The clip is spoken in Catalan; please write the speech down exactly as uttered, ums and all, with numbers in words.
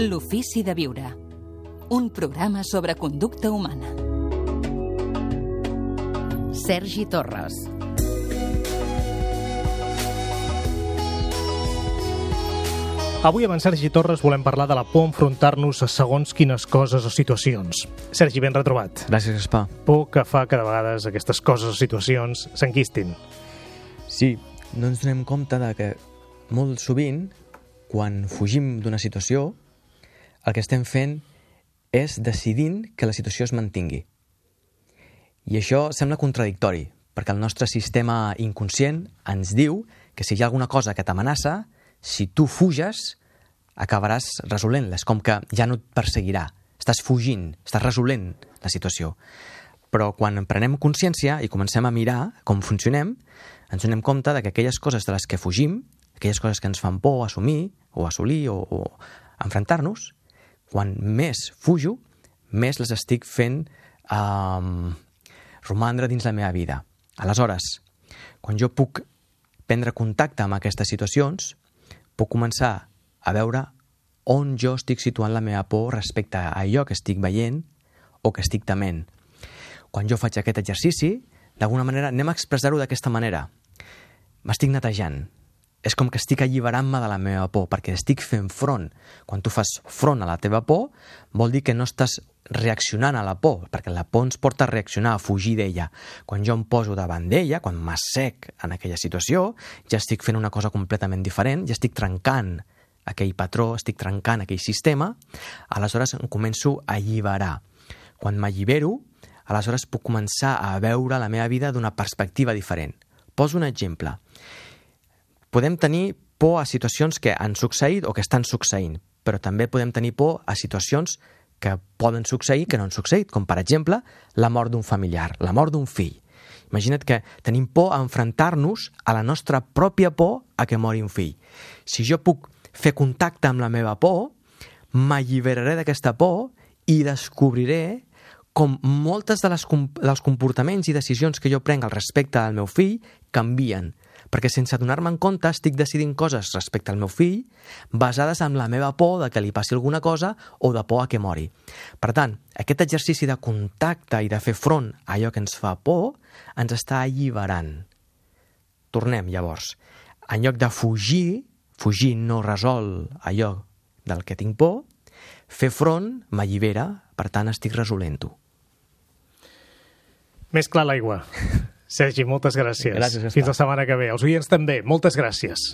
L'ofici de viure. Un programa sobre conducta humana. Sergi Torres. Avui amb en Sergi Torres volem parlar de la por a enfrontar-nos a segons quines coses o situacions. Sergi, ben retrobat. Gràcies, Gaspar. Por que fa que de vegades aquestes coses o situacions s'enquistin. Sí, no ens donem compte de que molt sovint, quan fugim d'una situació, el que estem fent és decidint que la situació es mantingui. I això sembla contradictori, perquè el nostre sistema inconscient ens diu que si hi ha alguna cosa que t'amenaça, si tu fuges, acabaràs resolent-la. És com que ja no et perseguirà. Estàs fugint, estàs resolent la situació. Però quan prenem consciència i comencem a mirar com funcionem, ens donem compte de que aquelles coses de les que fugim, aquelles coses que ens fan por assumir o assolir o, o enfrontar-nos, quan més fujo, més les estic fent eh, romandre dins la meva vida. Aleshores, quan jo puc prendre contacte amb aquestes situacions, puc començar a veure on jo estic situant la meva por respecte a allò que estic veient o que estic tement. Quan jo faig aquest exercici, d'alguna manera, anem a expressar-ho d'aquesta manera. M'estic netejant. És com que estic alliberant-me de la meva por, perquè estic fent front. Quan tu fas front a la teva por, vol dir que no estàs reaccionant a la por, perquè la por ens porta a reaccionar, a fugir d'ella. Quan jo em poso davant d'ella, quan m'assec en aquella situació, ja estic fent una cosa completament diferent, ja estic trencant aquell patró, estic trencant aquell sistema, aleshores em començo a alliberar. Quan m'allibero, aleshores puc començar a veure la meva vida d'una perspectiva diferent. Poso un exemple. Podem tenir por a situacions que han succeït o que estan succeint, però també podem tenir por a situacions que poden succeir que no han succeït, com per exemple la mort d'un familiar, la mort d'un fill. Imagina't que tenim por a enfrontar-nos a la nostra pròpia por a que mori un fill. Si jo puc fer contacte amb la meva por, m'alliberaré d'aquesta por i descobriré com moltes de les, dels comportaments i decisions que jo prenc al respecte al meu fill canvien, perquè sense donar-me en compte estic decidint coses respecte al meu fill basades en la meva por de que li passi alguna cosa o de por a que mori. Per tant, aquest exercici de contacte i de fer front a allò que ens fa por ens està alliberant. Tornem, llavors. En lloc de fugir, fugir no resol allò del que tinc por, fer front m'allibera, per tant estic resolent-ho. Més clar l'aigua. Sergi, moltes gràcies. Gràcies, Gaspar. Fins la setmana que ve. Els oients també, moltes gràcies.